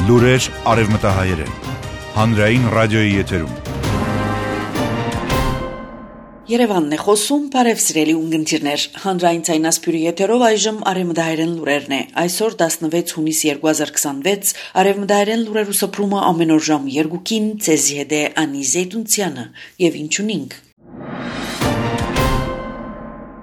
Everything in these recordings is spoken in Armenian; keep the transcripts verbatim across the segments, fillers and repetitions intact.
Լուրեր արևմտահայերեն, հանրային ռադիոյի եթերում։ Երևանն է խոսում, բարև սիրելի ունգընտիրներ, հանրային ցայնասպյուրի եթերով այժմ արևմտահայերեն լուրերն է, այսօր տասնվեց հունիս երկու հազար քսանվեց, արևմտահայերեն լուրերու սփռումը ամեն օր ժամ երկուքին, ցեզի հետ է Անի Զեյթունցյանը, եւ ինչ ունինք։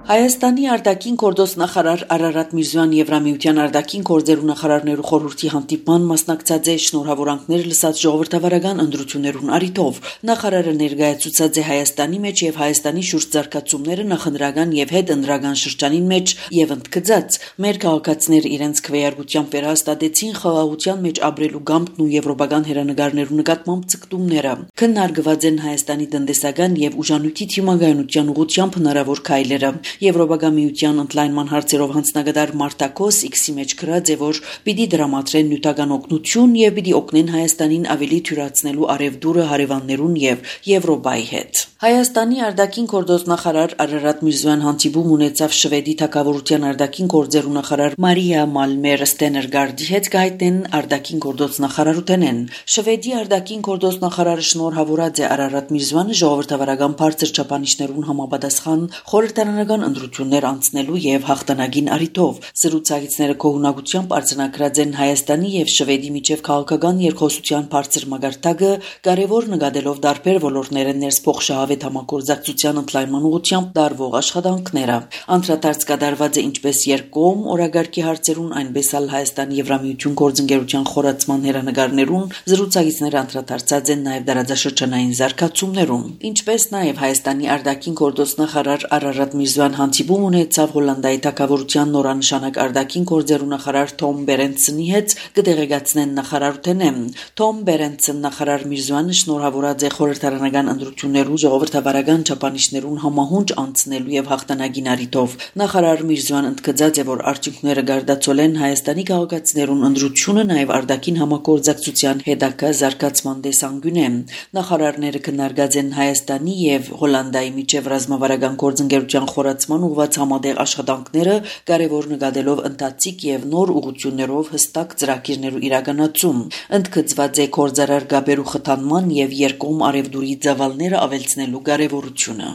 Հայաստանի արտաքին գործոս նախարար Արարատ Միրզոյան Եվրամիության արտաքին գործերու նախարարներու խորհրդի հանդիպման մասնակցած է շնորհավորանքներ լսած ժողովրդավարական ընտրություններուն առիթով։ Նախարարը ներկայացուցած է Հայաստանի մեջ եւ Հայաստանի շուրջ զարգացումները նախընտրական եւ հետընտրական շրջանին մեջ եւ ընդգծած մեր քաղաքացիները իրենց քվեարկությամբ վերահաստատեցին խաղաղության մեջ ապրելու գամտն ու եվրոպական հերանեկարներու նկատմամբ ցկտումները։ Քննարկված են Հայաստանի տնտեսական եւ ուժանույթի թիմագայունության ուղղությամբ հնարավոր քայլերը։ Եվրոպական միության ընդլայնման հարցերով հանձնագետար Մարտակոս X-ի մեջ գրած է, որ պիտի դրամատրեն նյութական օգնություն եւ պիտի օգնեն Հայաստանին ավելի թյուրացնելու արևդուրը հարևաններուն եւ Եվրոպայի հետ։ Հայաստանի արտաքին գործոս նախարար Արարատ Միրզոյան հանդիպում ունեցավ Շվեդի թագավորության արտաքին գործերու նախարար Մարիա Մալմեր Ստեներգարդի հետ գայտնեն արտաքին գործոս նախարարութենեն։ Շվեդի արտաքին գործոս նախարարը շնորհավորած է Արարատ Միրզոյանը ժողովրդավարական բարձր չափանիշներուն համապատասխան խորհրդարանական ընտրություններ անցնելու եւ հաղթանակին առիթով։ Զրուցակիցները կողունակությամբ արձանագրած են Հայաստանի եւ Շվեդի միջև քաղաքական երկխոսության բարձր մագարտակը, կարևոր նկատելով տարբեր ոլորտները ներս փոխշահավետ համագործակցության ընդլայնման ուղղությամբ դարվող աշխատանքները։ Անդրադարձ կատարված է ինչպես երկկողմ օրագարկի հարցերուն, այնպես էլ Հայաստանի Եվրամիություն գործընկերության խորացման հերանեկարներուն, զրուցակիցները անդրադարձած են նաեւ դարաձաշրջանային զարգացումներուն, ինչպես նաեւ Հայաստանի արտաքին գործոս նախարար Արարատ Միրզոյան հանդիպում ունեցավ Հոլանդիայի թագավորության նորանշանակ արտաքին գործերու նախարար Թոմ Բերենցնի հետ կդեղեկացնեն նախարարութենեն։ Թոմ Բերենցն նախարար Միրզոյանը շնորհավորած է խորհրդարանական ընտրություններու ժողովրդավարական չափանիշներուն համահունչ անցնելու եւ հաղթանակին առիթով։ Նախարար Միրզոյան ընդգծած է, որ արդյունքները գարդացոլեն Հայաստանի քաղաքացիներուն ընտրությունը նաեւ արտաքին համագործակցության հետագա զարգացման տեսանկյունեն։ Նախարարները քննարկած են Հայաստանի եւ Հոլանդիայի միջև ռազմավարական գործընկերության խորացման ուղղված համատեղ աշխատանքները, կարևոր նկատելով ընթացիկ եւ նոր ուղղություններով հստակ ծրագիրներու իրականացում։ Ընդգծված է գործարար գաբերու խթանման եւ երկկողմ արևդուրի ծավալները ավելցնելու կարևորությունը։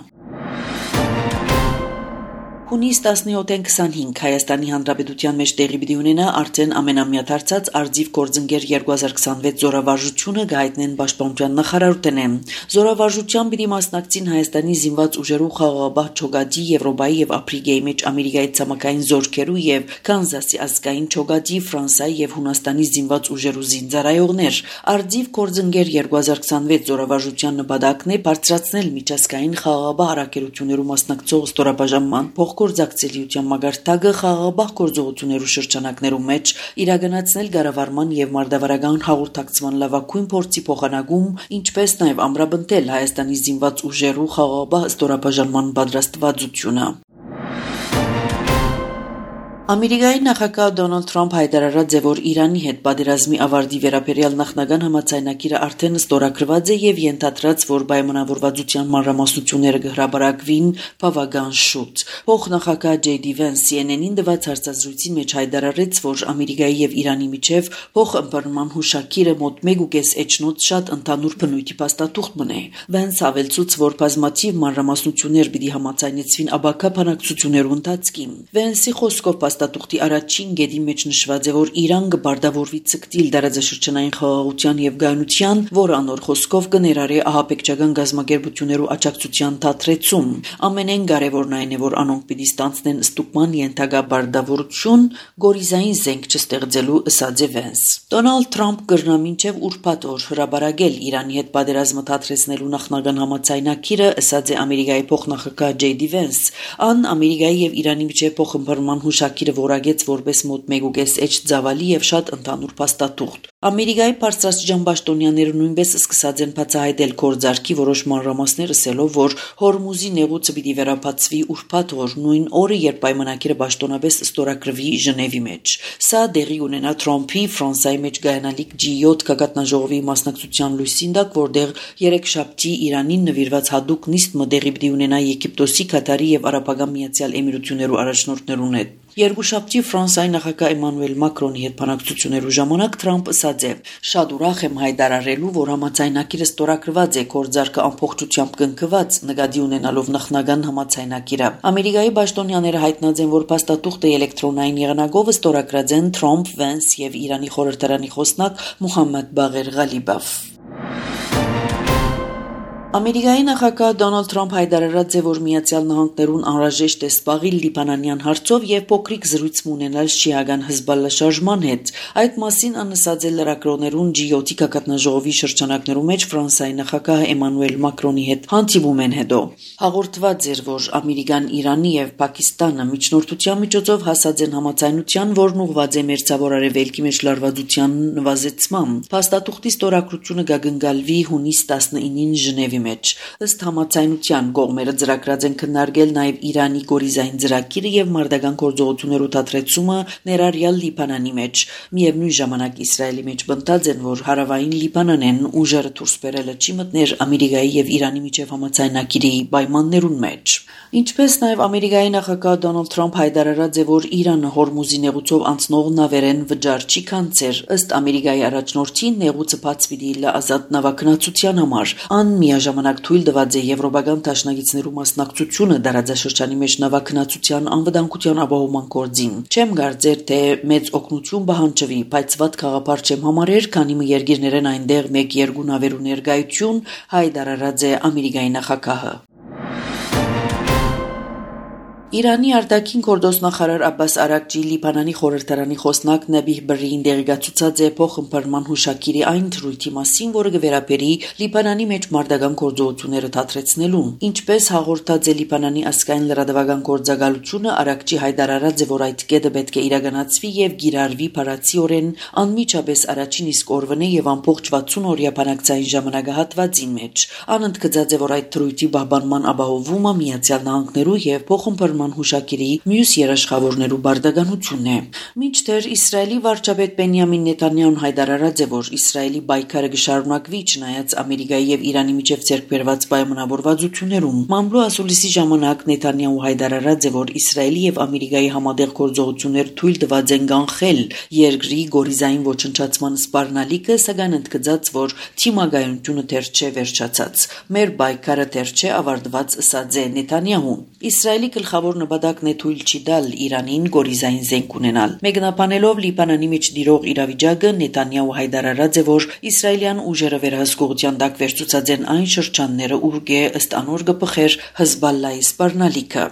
Հունիս տասնյոթին քսանհինգ Հայաստանի Հանրապետության մեջ տեղի պիտի ունենա արդեն ամենամյա դարձած արձիվ գործընկեր երկու հազար քսանվեց զորավարժությունը գայտնեն պաշտպանության նախարարութենեն։ Զորավարժության պիտի մասնակցին Հայաստանի զինված ուժերու խաղաղապահ չոգադի, Եվրոպայի եւ Աֆրիկայի մեջ Ամերիկայի ցամաքային զորքերու եւ Կանզասի ազգային չոգադի, Ֆրանսիայի եւ Հունաստանի զինված ուժերու զինծառայողներ։ Արձիվ գործընկեր երկու հազար քսանվեց զորավարժության նպատակն է բարձրացնել միջազգային խաղաղապահ առաքելություններու մասնակցող ստորաբաժանման գործակցելիության մագարտակը խաղաղապահ գործողություններու շրջանակներու մեջ իրականացնել կառավարման եւ մարտավարական հաղորդակցման լավագույն փորձի փոխանակում, ինչպես նաեւ ամրապնդել Հայաստանի զինված ուժերու խաղաղապահ ստորաբաժանման պատրաստվածությունը։ Ամերիկայի նախագահ Դոնալդ Թրամփ հայտարարած է, որ Իրանի հետ պատերազմի ավարտի վերաբերյալ նախնական համաձայնագիրը արդեն ստորագրված է եւ ենթադրած, որ պայմանավորվածության մանրամասնությունները կհրապարակվին բավական շուտ։ Փոխնախագահ Ջեյ Դի Վենս Սի Էն Էն-ին դված հարցազրույցի մեջ հայտարարեց, որ Ամերիկայի եւ Իրանի միջև փոխըմբռնման հուշագիրը մոտ մեկ ու կես էջնոց շատ ընդհանուր բնույթի փաստաթուղթ մնե։ Վենս ավելցուց, որ բազմաթիվ մանրամասնություններ պիտի համաձայնեցվին աբակա բանակցություններու ընթացքին։ Վենսի խոսքով Տատուղթի առաջին գեդի մեջ նշված է, որ Իրան կբարդավորվի ցկտիլ դարաձաշրջանային խաղաղության եւ գայունության, որ անոր խոսքով կներառի ահաբեկչական գազམ་ագերբություններու աջակցության թատրեցում։ Ամենեն կարևորն այն է, որ անոնք պիտի ստանցնեն ստուգման ենթակա բարդավորություն, գորիզային զենք չստեղծելու, ըսած է Վենս։ Դոնալդ Թրամփ կրնա մինչև ուրբաթ օր հրաբարակել Իրանի հետ պատերազմը թատրեցնելու նախնական համաձայնագիրը, ըսած է Ամերիկայի փոխնախագահ Ջեյ Դի Վենս։ Ան Ամերիկայի եւ Իրանի միջև փոխըմբռնման հուշագիրը որագեց որպես մոտ մեկ ու կես էջ ծավալի եւ շատ ընդհանուր փաստաթուղթ։ Ամերիկայի բարձրաստիճան պաշտոնյաները նույնպես սկսած են բացահայտել գործարքի որոշ մանրամասներ, ասելով, որ Հորմուզի նեղուցը պիտի վերաբացվի ուրբաթ օր, նույն օրը, երբ պայմանագիրը պաշտոնապես ստորագրվի Ժնևի մեջ։ Սա դեղի ունենա Թրամփի Ֆրանսիայի մեջ գայանալիք ջի յոթ գագաթնաժողովի մասնակցության լույսին տակ, որտեղ երեքշաբթի Իրանին նվիրված հատուկ նիստ մտեղի պիտի ունենա Եգիպտոսի, Կատարի եւ Արաբական Միացյալ Էմիրություններու առաջնորդներուն հետ։ Երկուշաբթի Ֆրանսիայի նախագահ Էմանուել Մակրոնի հետ բանակցություններու ժամանակ Թրամփ ասաց է. «Շատ ուրախ եմ հայտարարելու, որ համաձայնագիրը ստորագրված է, գործարքը ամբողջությամբ կնքված, նկատի ունենալով նախնական համաձայնագիրը»։ Ամերիկայի պաշտոնյաները հայտնած են, որ փաստաթուղթը էլեկտրոնային եղանակով ստորագրած են Թրամփ, Վենս եւ Իրանի խորհրդարանի խոսնակ Մուհամմադ Բաղեր Ղալիբով։ Ամերիկայի նախագահ Դոնալդ Թրամփ հայտարարած է, որ Միացյալ Նահանգներուն անհրաժեշտ է սպաղիլ լիբանանյան հարցով եւ փոքրիկ զրույց ունենալ շիական Հեզբալլա շարժման հետ։ Այդ մասին անասած է լրագրողներուն Ջի յոթ գագաթնաժողովի շրջանակներու մեջ Ֆրանսիայի նախագահ Էմանուել Մակրոնի հետ հանդիպումեն հետո։ Հաղորդված էր, որ Ամերիկան, Իրանի եւ Պակիստանը միջնորդության միջոցով հասած են համաձայնության, որն ուղղված է մերձավոր արևելքի մեջ լարվածության նվազեցման։ Փաստաթուղթի ստորագրությունը կգնկալվի հունիս տասնինին Ժնևի մեջ։ Ըստ համաձայնության կողմերը ծրագրած են քննարկել նաև Իրանի գորիզային ծրագիրը եւ մարտական գործողություններու դադրեցումը ներառյալ Լիբանանի մեջ։ Միևնույն ժամանակ Իսրայելի մեջ բնդած են, որ հարավային Լիբանանեն ուժերը դուրս բերելը չի մտներ Ամերիկայի եւ Իրանի միջև համաձայնագիրի պայմաններուն մեջ։ Ինչպես նաև Ամերիկայի նախագահ Դոնալդ Թրամփ հայտարարած է, որ Իրանը Հորմուզի նեղուցով անցնող նավերեն վճար չի կանցեր։ Ըստ Ամերիկայի առաջնորդի նեղուցը բաց պիտի լա ազատ նավագնացության համար։ Ան միաժամանակ թույլ տված է եվրոպական դաշնակիցներու մասնակցությունը դարաձաշրջանի մեջ նավագնացության անվտանգության ապահովման գործին։ Չեմ կարծեր, թե մեծ օգնություն պահանջվի, բայց վատ գաղափար չեմ համարեր, քանի մի երկիրներեն այնտեղ մեկ-երկու նավերու ներկայություն հայտարարած է Ամերիկայի նախագահը։ Իրանի արտաքին գործոստնախարար Աբբաս Արաքչի Լիբանանի խորհրդարանի խոսնակ Նաբիհ Բրրին դեղեկացուցած է փոխըմբռնման հուշագիրի այն թրույթի մասին, որը կվերապերի Լիբանանի մեջ մարտական գործողությունները դադրեցնելուն։ Ինչպես հաղորդած է Լիբանանի ազգային լրատվական գործակալությունը, Արաքչի հայտարարած է, որ այդ կետը պետք է իրականացվի եւ գիրառվի բառացիորեն անմիջապես առաջին իսկ օրվան է եւ ամբողջ վաթսուն օրյա բանակցային ժամանակահատվածին մեջ։ Անընդգծած է, որ այդ թրույթի պահպանման ապահովումը Միացյալ Նահանգներու եւ փոխըմբռնման հուշագիրի մյուս երաշխավորներու բարդականությունն է։ Մինչդեռ Իսրայելի վարչապետ Բենյամին Նեթանյահուն հայտարարած է, որ Իսրայելի պայքարը կշարունակվի չնայած Ամերիկայի եւ Իրանի միջև ձեռք բերված պայմանավորվածություններուն։ Մամլու ասուլիսի ժամանակ Նեթանյահու հայտարարած է, որ Իսրայելի եւ Ամերիկայի համատեղ գործողություններ թույլ տված են կանխել երկրի գորիզային ոչնչացման սպառնալիքը, սակայն ընդգծած, որ թիմագայունությունը դեռ չէ վերջացած։ Մեր պայքարը դեռ չէ ավարտված, ըսած է Նեթանյահուն։ Իսրայելի գլխավոր նպատակն է թույլ չի տալ Իրանին գորիզային զենք ունենալ։ Մեկնաբանելով Լիբանանի մեջ դիրող իրավիճակը, Նեթանյահու հայտարարած է, որ իսրայելյան ուժերը վերահսկողության տակ վերցուցած են այն շրջանները, ուր կե ըստ անոր կփխեր Հեզբալլայի սպառնալիքը։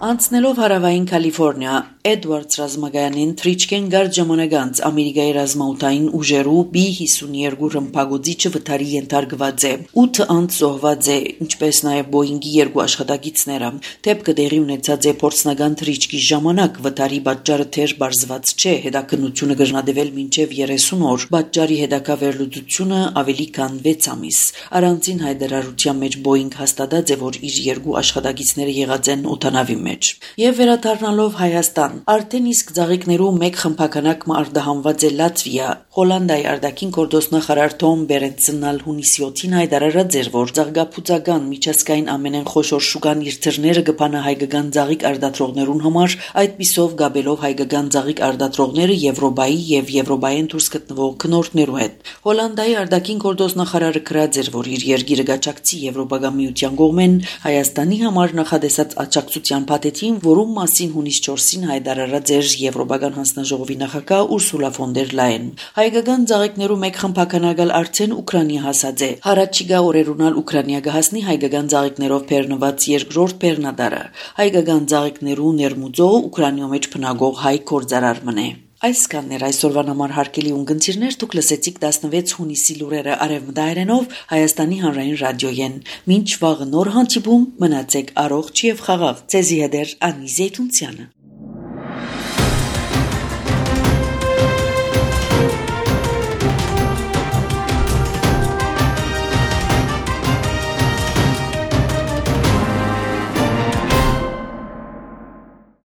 Անցնելով հարավային Կալիֆոռնիա, Էդվարդս ռազմագայանին թրիչկեն գարդ ժամանակ անց Ամերիկայի ռազմաօդային ուժերու բի հիսունյոթ ռմբագոծիչը վթարի ենթարկված է։ ութ անց զոհված է, ինչպես նաև Բոյինգի երկու աշխատակիցները։ Դեպքը տեղի ունեցած է փորձնական թրիչքի ժամանակ, վթարի պատճառը թեր բարձված չէ, հետաքննությունը կրնադեվել մինչև երեսուն օր։ Պատճառի հետագա վերլուծությունը ավելի քան վեց ամիս։ Առանցին հայտարարության մեջ Բոյինգ հաստատած է, որ իր երկու աշխատակիցները եղած են օդանավի մեջ։ Եվ վերադառնալով Հայաստան, արդեն իսկ ծաղիկներու մեկ խմբականակ արտահանված է Լատվիա։ Հոլանդիայի արտաքին գործոստնախարար Թոմ Բերենցնալ հունիսի յոթին հայտարարած էր, որ ծաղկափուծական միջազգային ամենեն խոշոր շուկան իր թռները կփանա հայկական ծաղիկ արտադրողներուն համար, այդպիսով գաբելով հայկական ծաղիկ արտադրողները Եվրոպայի եւ Եվրոպայեն դուրս գտնվող քնորդներու հետ։ Հոլանդիայի արտաքին գործոստնախարարը գրած էր, որ իր երկիրը գաչակցի Եվրոպական միության կողմեն Հայաստանի համար նախադեсած աջակցության փաթեթին, որում մասին հունիս չորսին հայտարարած էր Եվրոպական հանձնաժողովի նախագահ Ուրսուլա ֆոն դեր Լայեն։ Հայկական ծաղիկներու մեկ խմբականակալ արդեն Ուկրաինա հասած է։ Հարաճիգա օրերունալ Ուկրաինա կհասնի հայկական ծաղիկներով բեռնված երկրորդ բեռնադարը։ Հայկական ծաղիկներու ներմուծող Ուկրաինայում մեջ բնակող հայ գործարարն է։ Այսքանն էր այսօրվան համար հարգելի ունգընտիրներ, դուք լսեցիք տասնվեց հունիսի լուրերը արևմտայերենով Հայաստանի հանրային ռադիոյեն։ Մինչ վաղը նոր հանդիպում, մնացեք առողջ եւ խաղաղ։ Ձեզի հետ էր Անի Զեյթունցյանը։